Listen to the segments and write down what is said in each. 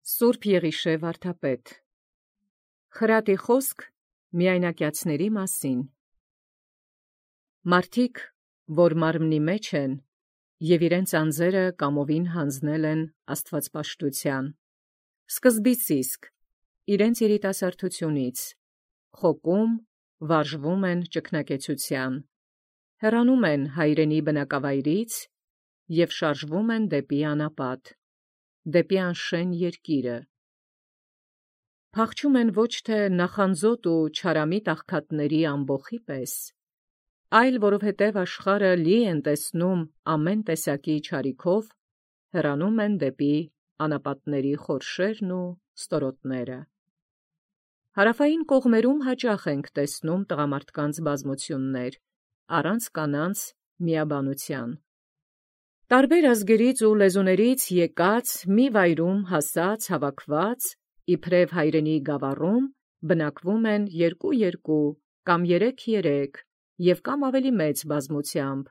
Սուրբ Եղիշե վարդապետ Խրատի խոսք միայնակյացների մասին։ Մարդիկ, որ մարմնի մեջ են, և իրենց անձերը կամովին հանձնել են աստվածպաշտության, սկզբից իսկ, իրենց երիտասարդությունից, խոկում, վարժվում են ճգնակեցության, հեռանում են հայրենի բնակավայրից և շարժվում են դեպի անապատ, դեպի անշեն երկիրը։ Փախչում են ոչ թե նախանձոտ ու չարամիտ աղքատների ամբոխի պես, այլ որովհետև աշխարհը լի են տեսնում ամեն տեսակի չարիքով, հեռանում են դեպի անապատների խորշերն ու ստորոտները։ Հարավային կողմերում հաճախ ենք տեսնում տղամարդկանց բազմություններ, առանց կանանց միաբանության։ Տարբեր ազգերից ու լեզուներից եկած, մի վայրում հասած, հավաքված, իբրև հայրենի գավառում, բնակվում են երկու կամ երեք և կամ ավելի մեծ բազմությամբ,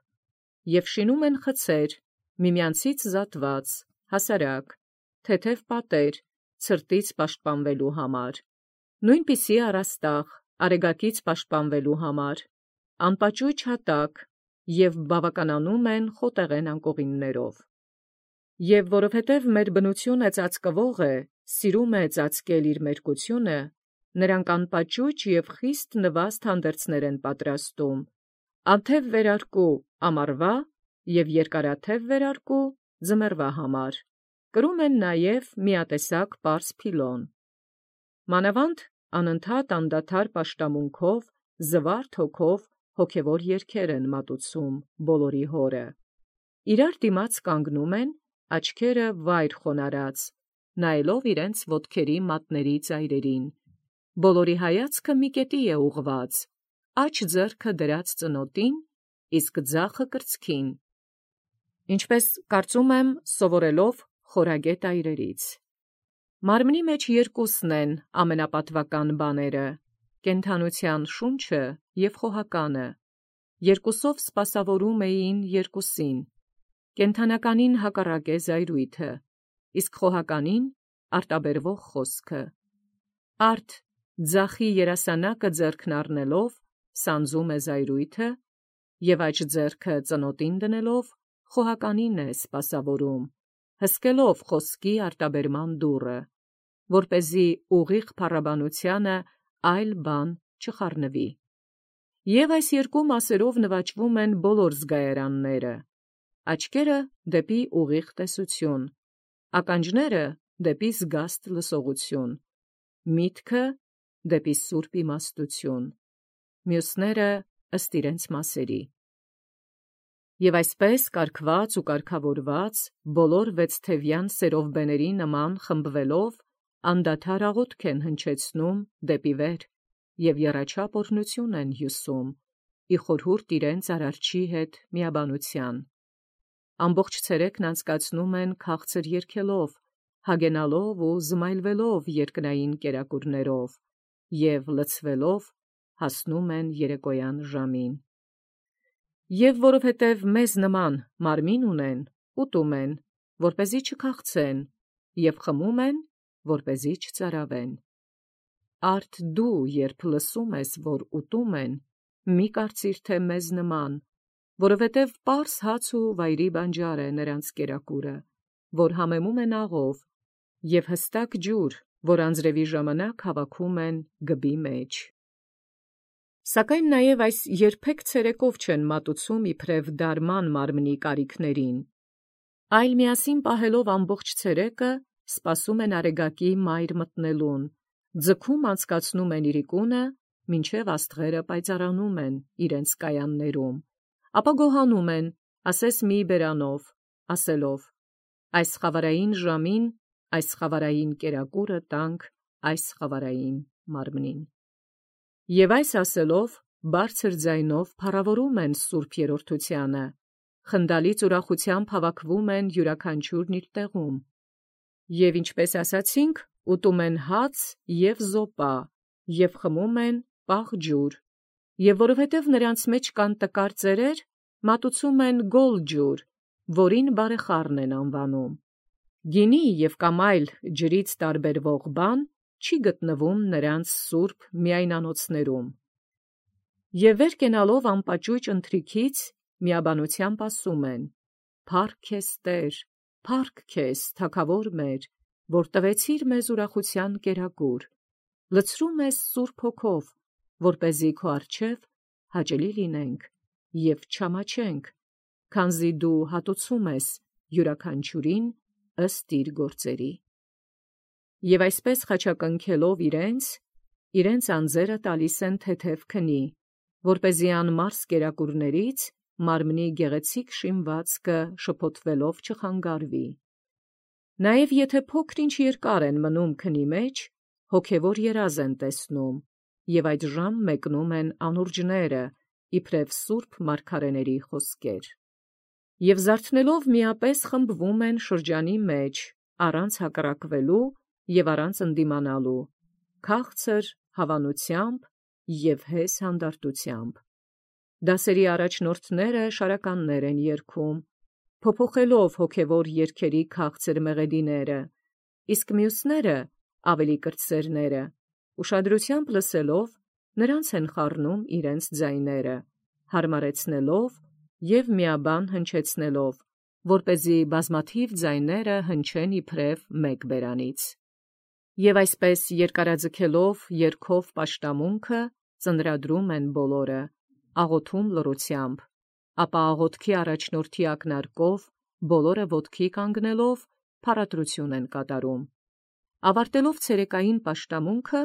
և շինում են խցեր, միմյանցից զատված, հասարակ, թեթև պատեր, ցրտից պաշտպանվելու համար, նույնպիսի առաստաղ, արեգակից պաշտպանվելու համար, անպաճույճ հատակ և բավականանում են խոտեղեն անկողիններով։ Եվ որովհետև մեր բնությունը ծածկվող է, սիրում է ծածկել իր մերկությունը, նրանք անպաճույճ և խիստ նվաստ հանդերձներ են պատրաստում, անթև վերարկու ամառվա և երկարաթև վերարկու ձմեռվա համար, կրում են նաև միատեսակ պարզ փիլոն։ Մանավանդ անընդհատ անդադար պաշտամունքով, զվարթ հոգով հոգևոր երգեր են մատուցում բոլորի հորը։ Իրար դիմաց կանգնում են, աչքերը վայր խոնարհած, նայելով իրենց ոտքերի մատների ծայրերին, բոլորի հայացքը մի կետի է ուղղված, աջ ձեռքը դրած ծնոտին, իսկ ձախը կրծքին, ինչպես կարծում եմ սովորելով խորագետ այրերից։ Մարմնի մեջ երկուսն են ամենապատվական բաները՝ կենդանության շունչը և խոհականը, երկուսով սպասավորում էին երկուսին, կենդանականին հակառակ է զայրույթը, իսկ խոհականին արտաբերվող խոսքը։ Արդ ձախի երասանակը ձեռքն առնելով, սանձում է զայրույթը, և աջ ձեռքը ծնոտին դնելով, խոհականին է սպասավորում, հսկելով խոսքի արտաբերման դուռը, որպեսզի ուղիղ փառաբանությանը այլ բան չխառնվի։ Եվ այս երկու մասերով նվաճվում են բոլոր զգայարանները, աչքերը դեպի ուղիղ տեսություն, ականջները դեպի զգաստ լսողություն, միտքը դեպի սուրբ իմաստություն, մյուսները ըստ իրենց մասերի։ Եվ այսպես կարգված ու կարգավորված, բոլոր վեցթևյան սերովբեների նման խմբվելով, անդադար աղոթք են հնչեցնում դեպի վեր և եռաչափ օրհնություն են հյուսում, ի խորհուրդ իրենց արարչի հետ միաբանության։ Ամբողջ ցերեկն անցկացնում են քաղցր երգելով, հագենալով ու զմայլվելով երկնային կերակուրներով և լցվելով հասնում են երեկոյան ժամին։ Եվ որովհետև մեզ նման մարմին ունեն, ուտում են, որպեսզի չքաղցեն, և խմում են, որպեսզի չծարավեն։ Արդ դու, երբ լսում ես, որ ուտում են, մի կարծիր թե մեզ նման, որովհետև պարզ հաց ու վայրի բանջար է նրանց կերակուրը, որ համեմում են աղով, և հստակ ջուր, որ անձրևի ժամանակ հավաքում են գբի մեջ։ Սակայն նաև այս երբեք ցերեկով չեն մատուցում իբրև դարման մարմնի կարիքներին, այլ միասին պահելով ամբողջ ցերեկը, սպասում են արեգակի մայր մտնելուն, ձգում անցկացնում են իրիկունը, մինչև աստղերը պայծառանում են իրենց կայաններում, ապա գոհանում են, ասես մի բերանով, ասելով. այս խավարային ժամին, այս խավարային կերակուրը տանք այս խավարային մարմնին։ Եվ այս ասելով, բարձր ձայնով փառավորում են Սուրբ Երրորդությանը, խնդալից ուրախությամբ հավաքվում են յուրաքանչյուրն իր տեղում, և ինչպես ասացինք, ուտում են հաց և զոպա, և խմում են պաղ ջուր, և որովհետև նրանց մեջ կան տկար ծերեր, մատուցում են գոլ ջուր, որին բարեխառն են անվանում, Գինի եւ կամ այլ ջրից տարբերվող բան չի գտնվում նրանց սուրբ միայնանոցներում։ Եվ վեր կենալով անպաճույճ ընթրիքից միաբանությամբ ասում են. «Փառք քեզ Տեր, փառք քեզ Թագավոր մեր, որ տվեցիր մեզ ուրախության կերակուր, լցրում ես Սուրբ Հոգով, որպեսզի քո առջև հաճելի լինենք եւ չամաչենք, քանզի դու հատուցում ես յուրաքանչյուրին ըստ իր գործերի»։ Եվ այսպես խաչակնքելով իրենց անձերը տալիս են թեթև քնի, որպեսզի անմարս կերակուրներից մարմնի գեղեցիկ շինվածքը շփոթվելով չխանգարվի։ Նաև եթե փոքր-ինչ երկար են մնում քնի մեջ, հոգևոր երազ են տեսնում, եւ այդ ժամ մեկնում են անուրջները, իբրև սուրբ մարգարեների խոսքեր։ Եվ զարթնելով միապես խմբվում են շրջանի մեջ, առանց հակառակվելու եւ առանց ընդդիմանալու, քաղցր հավանությամբ եւ հես հանդարտությամբ։ Դասերի առաջնորդները շարականներ են երգում, փոփոխելով հոգևոր երգերի քաղցր մեղեդիները, իսկ մյուսները, ավելի կրտսերները, ուշադրությամբ լսելով, նրանց են խառնում իրենց ձայները, հարմարեցնելով եւ միաբան հնչեցնելով, որպեսզի բազմաթիվ ձայները հնչեն իբրև մեկ բերանից։ Եվ այսպես երկարաձգելով երգով պաշտամունքը ծնրադրում են բոլորը, աղոթում լռությամբ, ապա աղոթքի առաջնորդի ակնարկով բոլորը ոտքի կանգնելով փառատրություն են կատարում։ Ավարտելով ցերեկային պաշտամունքը,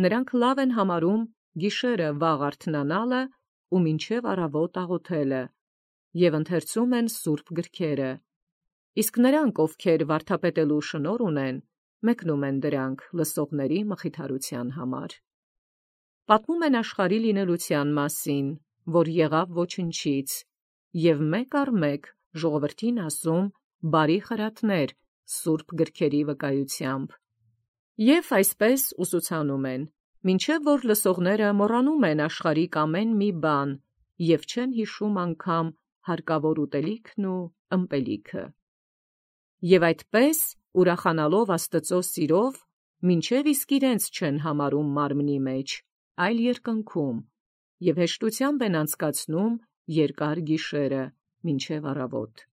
նրանք լավ են համարում գիշերը վաղ արթնանալը ու մինչև առավոտ աղոթելը, եւ ընթերցում են սուրբ գրքերը, իսկ նրանք, ովքեր վարդապետելու շնորհ ունեն, մեկնում են դրանք լսողների մխիթարության համար։ Պատմում են աշխարհի լինելության մասին, որ եղավ ոչնչից, եւ մեկ առ մեկ ժողովրդին ասում բարի խրատներ սուրբ գրքերի վկայությամբ։ Եվ այսպես ուսուցանում են, մինչև որ լսողները մոռանում են աշխարհիկ ամեն մի բան եւ չեն հիշում անգամ հարկավոր ուտելիքն ու ըմպելիքը։ Եվ այդպես, ուրախանալով Աստծո սիրով, մինչև իսկ իրենց չեն համարում մարմնի մեջ, այլ երկնքում, եւ հեշտությամբ են անցկացնում երկար գիշերը, մինչև առավոտ։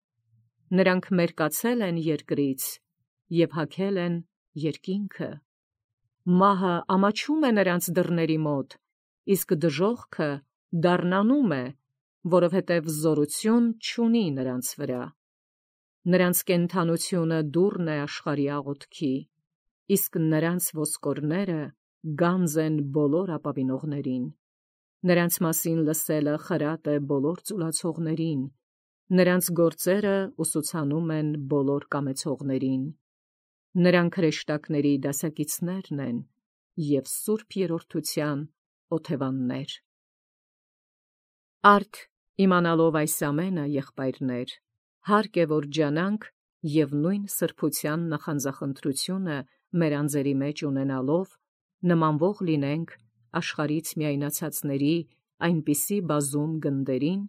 Նրանք մերկացել են երկրից եւ հագել են երկինքը։ Մահը ամաչում է նրանց դռների մոտ, իսկ դժոխքը դառնանում է, որովհետև զորություն չունի նրանց վրա։ Նրանց կենդանությունը դուռն է աշխարհի աղոթքի, իսկ նրանց ոսկորները գանձ են բոլոր ապավինողներին։ Նրանց մասին լսելը խրատ է բոլոր ծուլացողներին, նրանց գործերը ուսուցանում են բոլոր կամեցողներին։ Նրանք հրեշտակների դասակիցներն են և սուրբ երրորդության օթևաններ։ Արդ իմանալով այս ամենը, եղբայրներ, հարկ է, որ ջանանք և նույն սրբության նախանձախնդրությունը մեր անձերի մեջ ունենալով, նմանվող լինենք աշխարհից միայնացածների այնպիսի բազում գնդերին,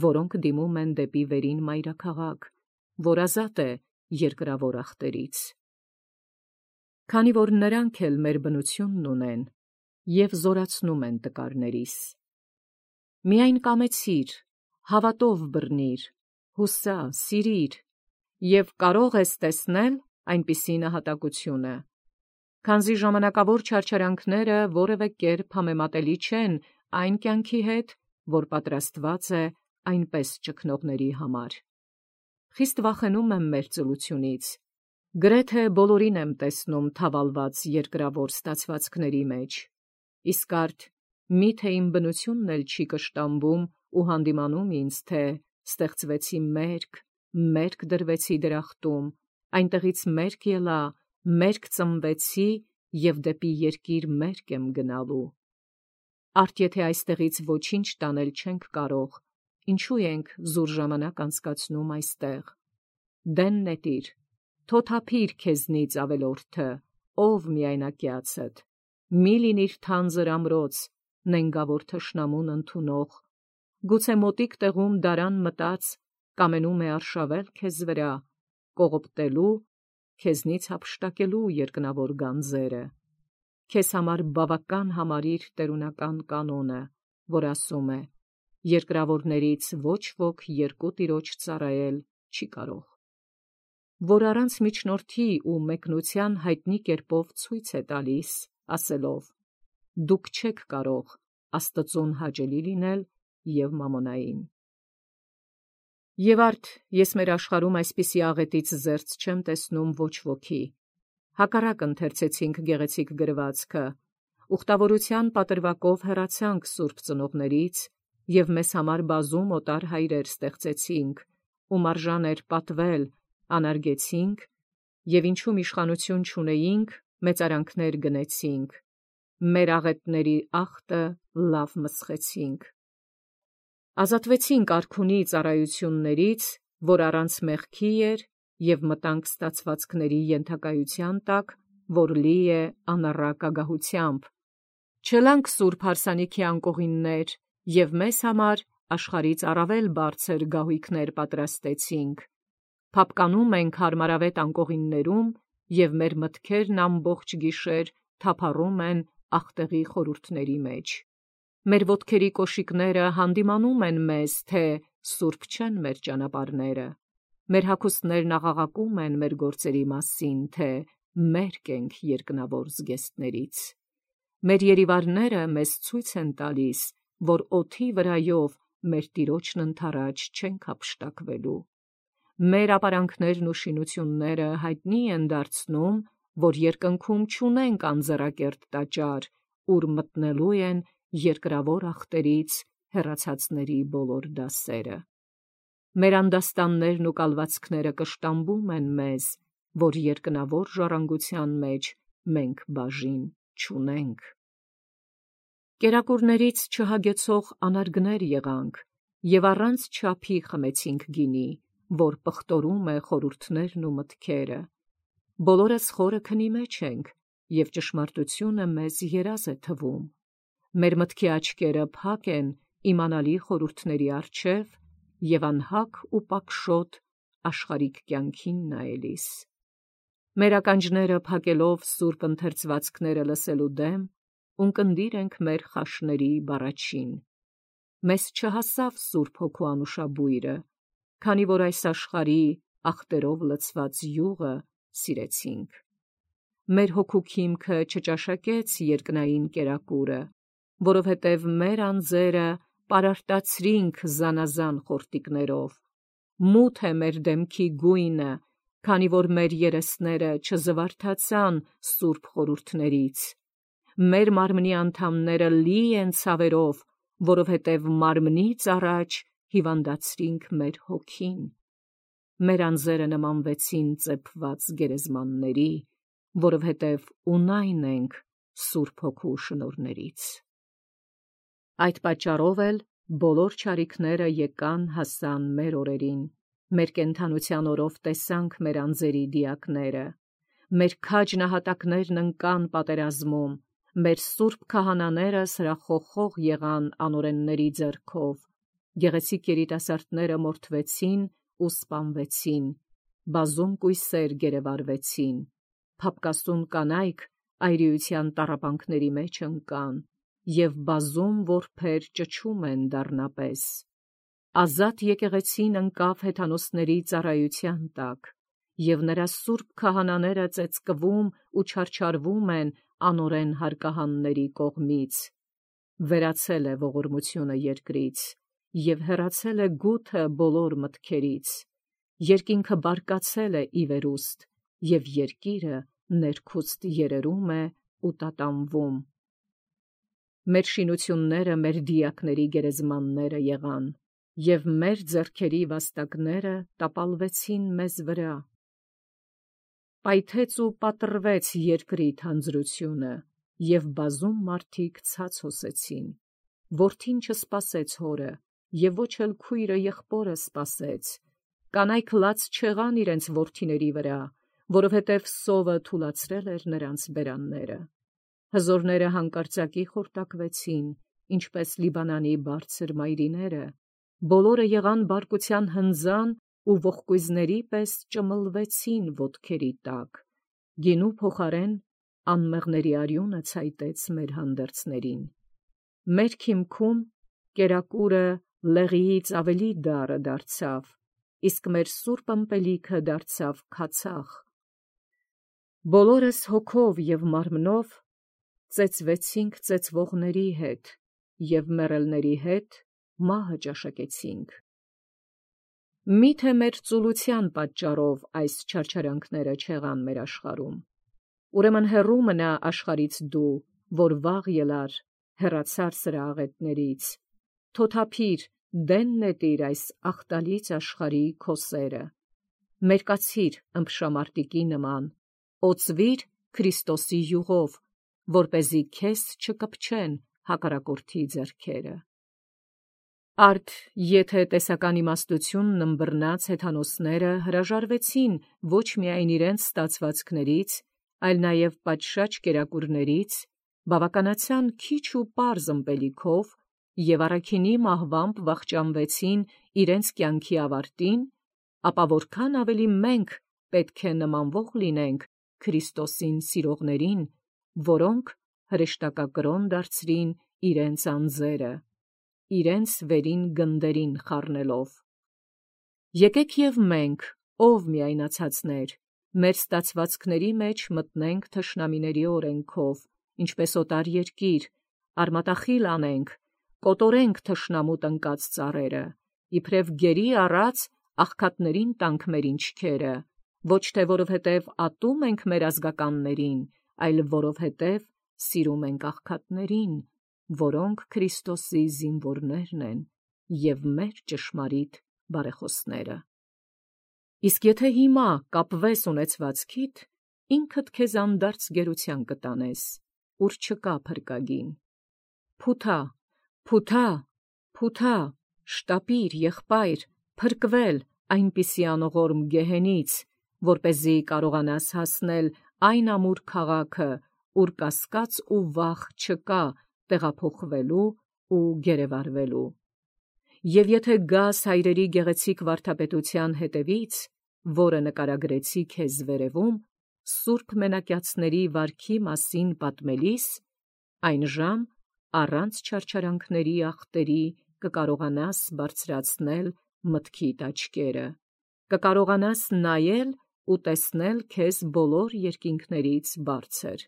որոնք դիմում են դեպի վերին մայրաքաղաք, որ ազատ է երկրավոր ախտերից։ Քանի որ նրանք էլ մեր բնությունն ունեն և զորացնում են տկարներիս։ Միայն կամեցիր, հավատով բռնիր, հուսա, սիրիր, և կարող ես տեսնել այնպիսի նահատակությունը, քանզի ժամանակավոր չարչարանքները որևէ կերպ համեմատելի չեն այն կյանքի հետ, որ պատրաստված է այնպես ճգնողների համար։ Խիստ վախենում եմ մեր ծլությունից, գրեթե բոլորին եմ տեսնում թավալված երկրավոր ստացվածքների մեջ, իսկ արդ միթե իմ բնությունն էլ չի կշտամբում ու հանդիմանում ինձ, թե ստեղծվեցի մերկ դրվեցի դրախտում, այնտեղից մերկ ելա, մերկ ծնվեցի և դեպի երկիր մերկ եմ գնալու։ Արդ եթե այստեղից ոչինչ տանել չենք կարող, ինչու ենք զուր ժամանակ անցկացնում այստեղ։ Դեն նետիր, թոթափիր քեզնից ավելորդը, ով միայնակյացդ, մի լինիր թանձր ամրոց, նենգավոր թշնամուն ընդունող, գուցե մոտիկ տեղում դարան մտած, կամենում է արշավել քեզ վրա, կողոպտելու, քեզնից հափշտակելու երկնավոր գանձերը։ Քեզ համար բավական համարիր տերունական կանոնը, որ ասում է. երկրավորներից ոչ ոք երկու տիրոջ ծառայել չի կարող, որ առանց միջնորդի ու մեկնության հայտնի կերպով ցույց է տալիս, ասելով. դուք չեք կարող Աստծուն հաճելի լինել և մամոնային։ Եվ արդ ես մեր աշխարհում այսպիսի աղետից զերծ չեմ տեսնում ոչ ոքի։ Հակառակ ընթերցեցինք գեղեցիկ գրվածքը, ուխտավորության պատրվակով հեռացանք սուրբ ծնողներից և մեզ համար բազում օտար հայրեր ստեղծեցինք, ում արժան էր պատվել, անարգեցինք, և ինչում իշխանություն չունեինք, մեծարանքներ գնեցինք, մեր աղետների ախտը լավ մսխեցինք։ Ազատվեցինք արքունի ծառայություններից, որ առանց մեղքի էր, և մտանք ստացվածքների ենթակայության տակ, որ լի է անառակ ագահությամբ։ Չելանք սուրբ հարսանիքի անկողիններ, և մեզ համար աշխարհից առավել բարձր գահույքներ պատրաստեցինք։ Փափկանում ենք հարմարավետ անկողիններում, և մեր մտքերն ամբողջ գիշեր թափառում են ախտեղի խորհուրդների մեջ։ Մեր ոտքերի կոշիկները հանդիմանում են մեզ, թե սուրբ չեն մեր ճանապարհները։ Մեր հագուստներն աղաղակում են մեր գործերի մասին, թե մերկ ենք երկնավոր զգեստներից։ Մեր երիվարները մեզ ցույց են տալիս, որ օդի վրայով մեր տիրոջն ընդառաջ չենք հափշտակվելու։ Մեր ապարանքներն ու շինությունները հայտնի են դարձնում, որ երկնքում չունենք անձեռակերտ տաճար, ուր մտնելու են երկրավոր ախտերից հեռացածների բոլոր դասերը։ Մեր անդաստաններն ու կալվածքները կշտամբում են մեզ, որ երկնավոր ժառանգության մեջ մենք բաժին չունենք։ Կերակուրներից չհագեցող անարգներ եղանք, և առանց չափի խմեցինք գինի, որ պղտորում է խորհուրդներն ու մտքերը։ Բոլորս խորը քնի մեջ ենք, և ճշմարտությունը մեզ երազ է թվում։ Մեր մտքի աչքերը փակ են իմանալի խորհուրդների առջև և անհագ ու պակշոտ աշխարհիկ կյանքին նայելիս։ Մեր ականջները փակելով սուրբ ընթերցվածքները լսելու դեմ, ունկնդիր ենք մեր խաշների բառաչին։ Մեզ չհասավ Սուրբ Հոգու անուշաբույրը, քանի որ այս աշխարհի ախտերով լցված յուղը սիրեցինք։ Մեր հոգու քիմքը չճաշակեց երկնային կերակուրը, որովհետև մեր անձերը պարարտացրինք զանազան խորտիկներով։ Մութ է մեր դեմքի գույնը, քանի որ մեր երեսները չզվարթացան սուրբ խորհուրդներից։ Մեր մարմնի անդամները լի են ցավերով, որովհետև մարմնից առաջ հիվանդացրինք մեր հոգին։ Մեր անձերը նմանվեցին ծեփված գերեզմանների, որովհետև ունայն ենք Սուրբ Հոգու շնորհներից։ Այդ պատճառով էլ բոլոր չարիքները եկան հասան մեր օրերին։ Մեր կենդանության օրով տեսանք մեր անձերի դիակները։ Մեր քաջ նահատակներն ընկան պատերազմում, մեր սուրբ քահանաները սրախոխող եղան անօրենների ձեռքով, գեղեցիկ երիտասարդները մորթվեցին ու սպանվեցին, բազում կույսեր գերեվարվեցին, փափկասուն կանայք այրիության տառապանքների մեջ ընկան, և բազում որբեր ճչում են դառնապես։ Ազատ եկեղեցին ընկավ հեթանոսների ծառայության տակ, և նրա սուրբ քահանաները ծեծկվում ու չարչարվում են անօրեն հարկահանների կողմից։ Վերացել է ողորմությունը երկրից, և հեռացել է գութը բոլոր մտքերից։ Երկինքը բարկացել է ի վերուստ, և երկիրը ներքուստ երերում է ու տատանվում։ Մեր շինությունները մեր դիակների գերեզմանները եղան, և մեր ձեռքերի վաստակները տապալվեցին մեզ վրա։ Պայթեց ու պատռվեց երկրի թանձրությունը, և բազում մարդիկ ցած հոսեցին։ Որդին չսպասեց հորը, և ոչ էլ քույրը եղբորը սպասեց։ Կանայք լաց չեղան իրենց որդիների վրա, որովհետև սովը թուլացրել էր նրանց բերանները։ Հզորները հանկարծակի խորտակվեցին, ինչպես Լիբանանի բարձր մայրիները, բոլորը եղան բարկության հնձան ու ողկույզների պես ճմլվեցին ոտքերի տակ, գինու փոխարեն անմեղների արյունը ցայտեց մեր հանդերձներին, մեր քիմքում կերակուրը լեղիից ավելի դառը դարձավ, իսկ մեր սուրբ ըմպելիքը դարձավ քացախ, բոլորս հոգով և մարմնով ծեծվեցինք ծեծվողների հետ և մեռելների հետ մահը ճաշակեցինք։ Միթե մեր ծուլության պատճառով այս չարչարանքները չեղան մեր աշխարհում, ուրեմն հեռու մնա աշխարհից դու, որ վաղ ելար, հեռացար սրա աղետներից, թոթափիր, դեն նետիր այս աղտալից աշխարհի քո սերը, մերկացիր ըմբշամարտիկի նման, օծվիր Քրիստոսի յուղով, որպեսզի քեզ չկպչեն հակառակորդի ձեռքերը։ Արդ եթե տեսական իմաստությունն ըմբռնած հեթանոսները հրաժարվեցին ոչ միայն իրենց ստացվածքներից, այլ նաև պատշաճ կերակուրներից, բավականացան քիչ ու պարզ ըմպելիքով և առաքինի մահվամբ վախճանվեցին իրենց կյանքի ավարտին, ապա որքան ավելի մենք պետք է նմանվող լինենք Քրիստոսին սիրողներին, որոնք հրեշտակակրոն դարձրին իրենց անձերը, իրենց վերին գնդերին խառնելով։ Եկեք և մենք, ով միայնացածներ, մեր ստացվածքների մեջ մտնենք թշնամիների օրենքով, ինչպես օտար երկիր, արմատախիլ անենք, կոտորենք թշնամու տնկած ծառերը, իբրև գերի առած աղքատներին տանք մեր ինչքերը, ոչ թե որովհետև ատում ենք մեր ազգականներին, այլ որովհետև սիրում ենք աղքատներին, որոնք Քրիստոսի զինվորներն են և մեր ճշմարիտ բարեխոսները։ Իսկ եթե հիմա կապվես ունեցվածքիդ, ինքդ քեզ անդարձ գերության կտանես, ուր չկա փրկագին։ Փութա, փութա, փութա, շտապիր, եղբայր, փրկվել այնպիսի անողորմ գեհենից, որպեսզի կարողանաս հասնել այն ամուր քաղաքը, ուր կասկած ու վախ չկա տեղափոխվելու ու գերեվարվելու։ Եվ եթե գաս հայրերի գեղեցիկ վարդապետության հետևից, որը նկարագրեցի քեզ վերևում, սուրբ մենակյացների վարքի մասին պատմելիս, այն ժամ առանց չարչարանքների ախտերի կկարողանաս բարձրացնել մտքիդ աչքերը, կկարողանաս նայել ու տեսնել քեզ բոլոր երկինքներից բարձր։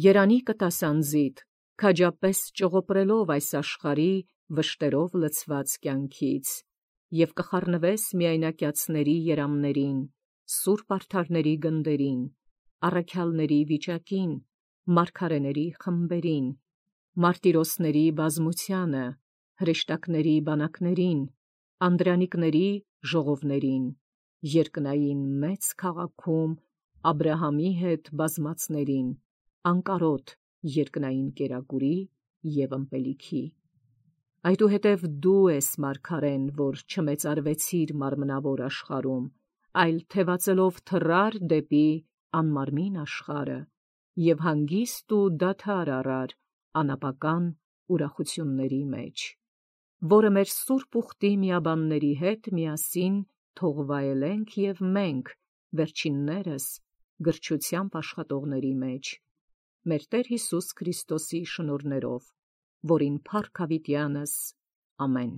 Երանի կտաս անձիդ, քաջապես ճողոպրելով այս աշխարհի վշտերով լցված կյանքից, և կխառնվես միայնակյացների երամներին, սուրբ արդարների գնդերին, առաքյալների վիճակին, մարգարեների խմբերին, մարտիրոսների բազմությանը, հրեշտակների բանակներին, անդրանիկների ժողովներին, երկնային մեծ քաղաքում Աբրահամի հետ բազմածներին, անկարոտ երկնային կերակուրի և ըմպելիքի։ Այդուհետև դու ես մարգարեն, որ չմեծարվեցիր մարմնավոր աշխարհում, այլ թևածելով թռար դեպի անմարմին աշխարհը և հանգիստ ու դադար առար անապական ուրախությունների մեջ, որը մեր սուրբ ուխտի միաբանների հետ միասին թող վայելենք և մենք, վերջիններս, գրչությամբ աշխատողների մեջ, մեր Տեր Հիսուս Քրիստոսի շնորհներով, որին փառք հավիտյանս, ամեն։